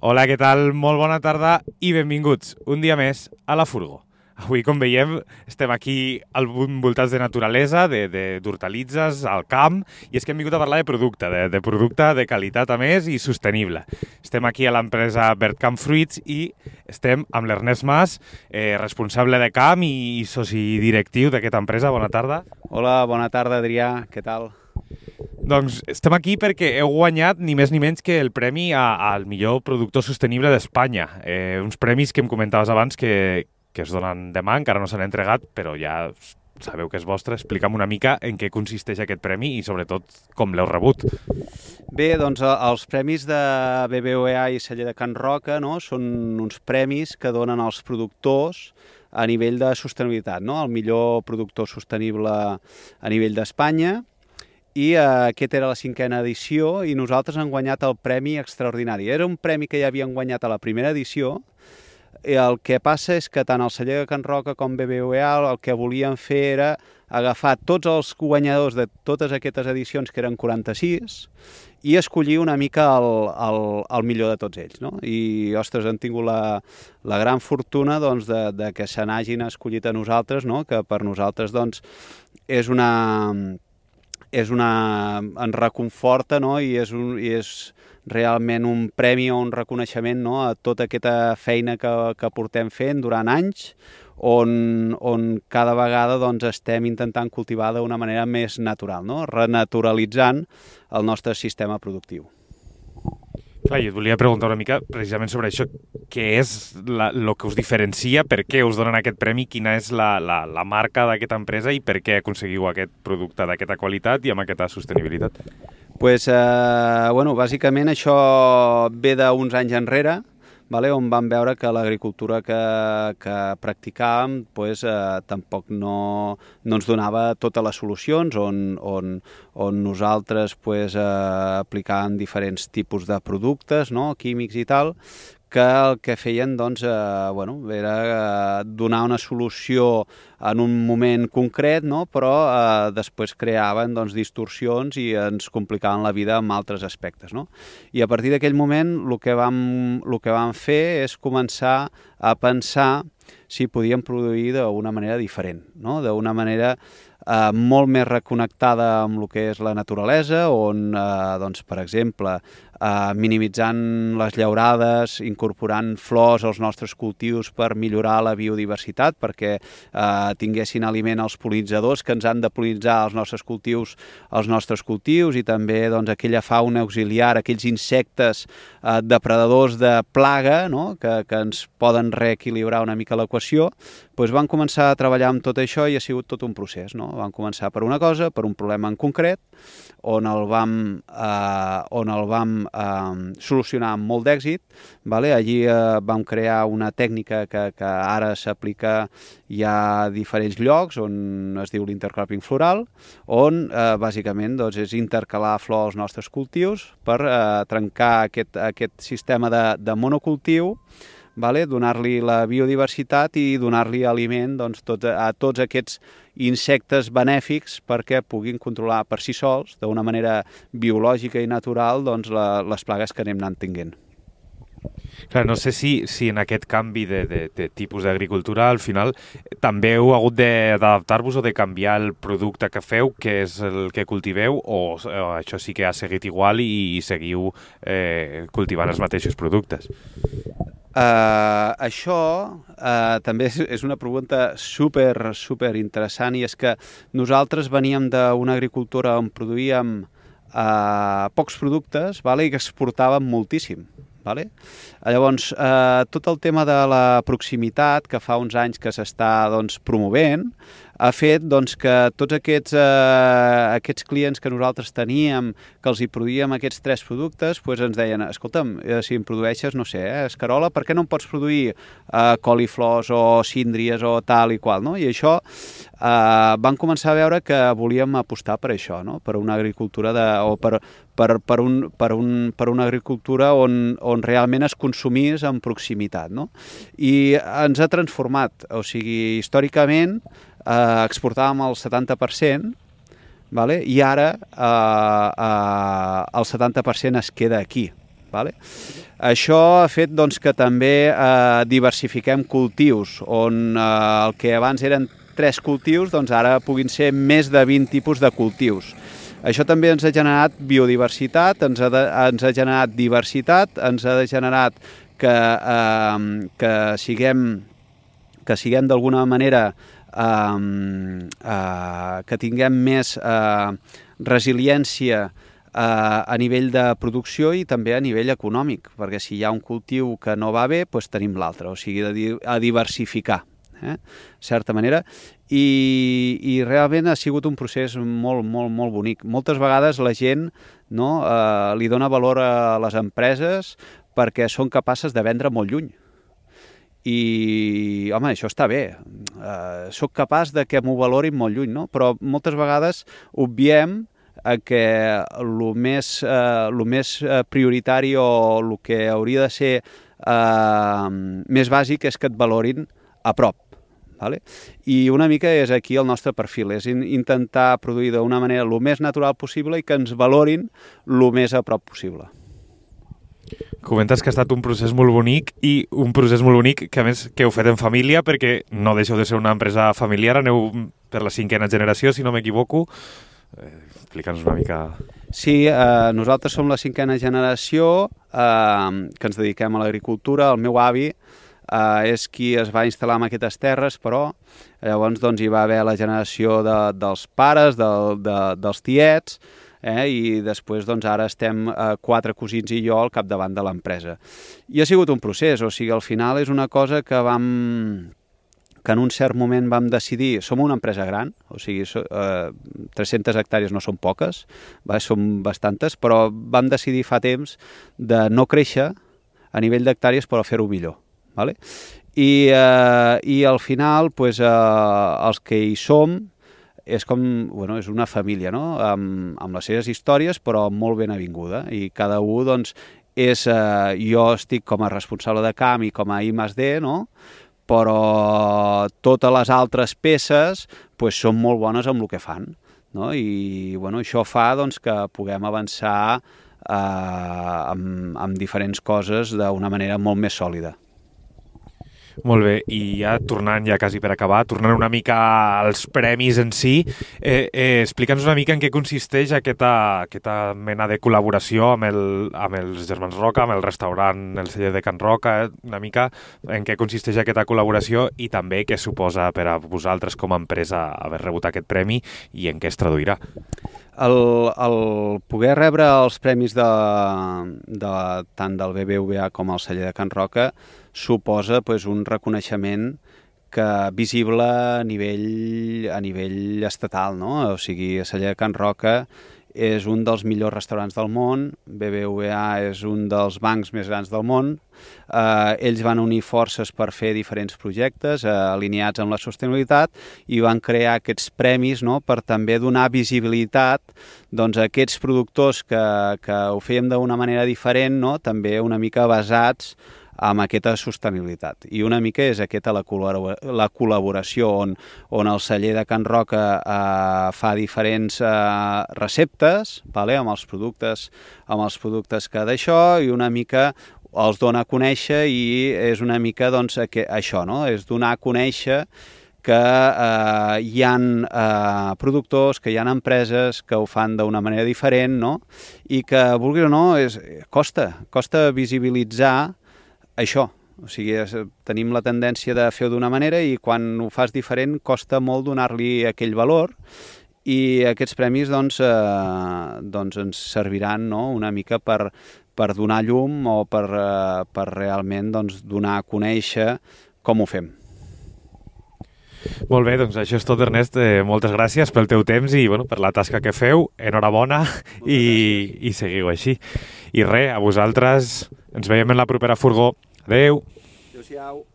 Hola, què tal? Molt bona tarda i benvinguts un dia més a La Furgo. Avui, com veiem, estem aquí envoltats de naturalesa, d'hortalitzes, al camp, i és que hem vingut a parlar de producte, de producte de qualitat a més i sostenible. Estem aquí a l'empresa Vertcamp Fruits i estem amb l'Ernest Mas, responsable de camp i soci directiu d'aquesta empresa. Bona tarda. Hola, bona tarda, Adrià. Què tal? Doncs estem aquí perquè heu guanyat ni més ni menys que el premi al millor productor sostenible d'Espanya. Uns premis que em comentaves abans que es donen demà, encara no s'han entregat, però ja sabeu que és vostre. Explica'm una mica en què consisteix aquest premi i sobretot com l'heu rebut. Bé, doncs els premis de BBVA i Celler de Can Roca, no, són uns premis que donen als productors a nivell de sostenibilitat, no? El millor productor sostenible a nivell d'Espanya. I aquesta era la 5a edició i nosaltres hem guanyat el Premi Extraordinari. Era un premi que ja havien guanyat a la primera edició. El que passa és que tant el Celler de Can Roca com BBVA el que volien fer era agafar tots els guanyadors de totes aquestes edicions, que eren 46, i escollir una mica el millor de tots ells, no? I, ostres, hem tingut la gran fortuna doncs, de que se n'hagin escollit a nosaltres, no? Que per nosaltres doncs, ens reconforta, no? I és realment un premi o un reconeixement, no? A tota aquesta feina que portem fent durant anys, on cada vegada doncs, estem intentant cultivar d'una manera més natural, no? Renaturalitzant el nostre sistema productiu. Clar, jo et volia preguntar una mica precisament sobre això. Què és el que us diferencia? Per què us donen aquest premi? Quina és la marca d'aquesta empresa i per què aconseguiu aquest producte d'aquesta qualitat i amb aquesta sostenibilitat? Pues, bàsicament això ve d'uns anys enrere, on vam veure que l'agricultura que practicàvem tampoc no ens donava totes les solucions, on nosaltres aplicàvem diferents tipus de productes, no, químics i tal, que el que feien era donar una solució en un moment concret, no? Però després creaven distorsions i ens complicaven la vida en altres aspectes, no? I a partir d'aquell moment el que vam fer és començar a pensar si podíem produir d'una manera diferent, no? D'una manera molt més reconnectada amb el que és la naturalesa, on, per exemple, minimitzant les llaurades, incorporant flors als nostres cultius per millorar la biodiversitat, perquè tinguessin aliment els pol·linitzadors que ens han de pol·linitzar els nostres cultius i també aquella fauna auxiliar, aquells insectes depredadors de plaga, no? que ens poden reequilibrar una mica l'equació. Vam començar a treballar amb tot això i ha sigut tot un procés, no? Vam començar per una cosa, per un problema en concret, on el vam solucionar amb molt d'èxit. Allí vam crear una tècnica que ara s'aplica ja a diferents llocs, on es diu l'intercropping floral, on bàsicament és intercalar flors als nostres cultius per trencar aquest sistema de monocultiu, donar-li la biodiversitat i donar-li aliment a tots aquests insectes benèfics perquè puguin controlar per si sols, d'una manera biològica i natural, les plagues que anem anant tinguent. Clar, no sé si en aquest canvi de tipus d'agricultura al final també heu hagut d'adaptar-vos o de canviar el producte que feu, que és el que cultiveu, o això sí que ha seguit igual i seguiu cultivant els mateixos productes? Això també és una pregunta super interessant, i és que nosaltres veníem d'una agricultura on produïem pocs productes i que exportàvem moltíssim. Llavors, tot el tema de la proximitat, que fa uns anys que s'està promovent, ha fet que tots aquests clients que nosaltres teníem, que els hi produïem aquests 3 productes, ens deien, escolta'm, si em produeixes, no sé, escarola, per què no em pots produir coliflors o síndries o tal i qual, no? I això vam començar a veure que volíem apostar per això, no? Per una agricultura per una agricultura on realment es consumís en proximitat, no? I ens ha transformat, o sigui, històricament exportàvem el 70%, i ara el 70% es queda aquí. Vale? Això ha fet doncs, que també diversifiquem cultius, on el que abans eren 3 cultius, doncs ara puguin ser més de 20 tipus de cultius. Això també ens ha generat biodiversitat, ens ha generat diversitat, ens ha generat que siguem d'alguna manera, que tinguem més resiliència a nivell de producció i també a nivell econòmic, perquè si hi ha un cultiu que no va bé, doncs tenim l'altre, o sigui, a diversificar, de certa manera, i realment ha sigut un procés molt, molt, molt bonic. Moltes vegades la gent li dona valor a les empreses perquè són capaces de vendre molt lluny. I, home, això està bé. Soc capaç de que m'ho valorin molt lluny, no? Però moltes vegades obviem que el més prioritari o el que hauria de ser més bàsic és que et valorin a prop. Vale? I una mica és aquí el nostre perfil, és intentar produir d'una manera el més natural possible i que ens valorin el més a prop possible. Comentes que ha estat un procés molt bonic i un procés molt bonic que a més que heu fet en família perquè no deixeu de ser una empresa familiar, aneu per la 5ª generació, si no m'equivoco. Explica'ns una mica. Sí, nosaltres som la 5ª generació que ens dediquem a l'agricultura. El meu avi és qui es va instal·lar en aquestes terres, però llavors doncs, hi va haver la generació dels pares, dels tiets, i després doncs, ara estem 4 cosins i jo al capdavant de l'empresa. I ha sigut un procés, o sigui, al final és una cosa que en un cert moment vam decidir, som una empresa gran, o sigui, 300 hectàrees no són poques, són bastantes, però vam decidir fa temps de no créixer a nivell d'hectàrees però fer-ho millor. Vale? I al final pues, els que hi som és com, bueno, és una família, no? Amb les seves històries però molt ben avinguda i cada un doncs, jo estic com a responsable de camp i com a I+D, no? Però totes les altres peces pues, són molt bones amb el que fan, no? I bueno, això fa doncs, que puguem avançar amb diferents coses d'una manera molt més sòlida. Molt bé, i ja tornant ja quasi per acabar, tornant una mica als premis en si, explica'ns una mica en què consisteix aquesta mena de col·laboració amb els Germans Roca, amb el restaurant El Celler de Can Roca, una mica en què consisteix aquesta col·laboració i també què suposa per a vosaltres com a empresa haver rebut aquest premi i en què es traduirà. El poder rebre els premis tant del BBVA com el Celler de Can Roca suposa pues, un reconeixement visible a nivell estatal, no? O sigui, el Celler de Can Roca és un dels millors restaurants del món, BBVA és un dels bancs més grans del món, ells van unir forces per fer diferents projectes alineats amb la sostenibilitat i van crear aquests premis, no?, per també donar visibilitat doncs, a aquests productors que ho fèiem d'una manera diferent, no?, també una mica basats amb aquesta sostenibilitat. I una mica és aquesta la col·laboració on el Celler de Can Roca fa diferents receptes, vale, amb els productes que d'això, i una mica els dona a conèixer i és una mica doncs, això, no? És donar a conèixer que hi ha productors, que hi ha empreses que ho fan d'una manera diferent, no? I que, vulgui o no, costa visibilitzar això, o sigui, tenim la tendència de fer-ho d'una manera i quan ho fas diferent costa molt donar-li aquell valor i aquests premis doncs ens serviran, no?, una mica per donar llum o per realment doncs, donar a conèixer com ho fem. Molt bé, doncs això és tot, Ernest. Moltes gràcies pel teu temps i per la tasca que feu. Enhorabona i seguiu així. I res, a vosaltres ens veiem en la propera furgó. Adéu. Adéu-siau.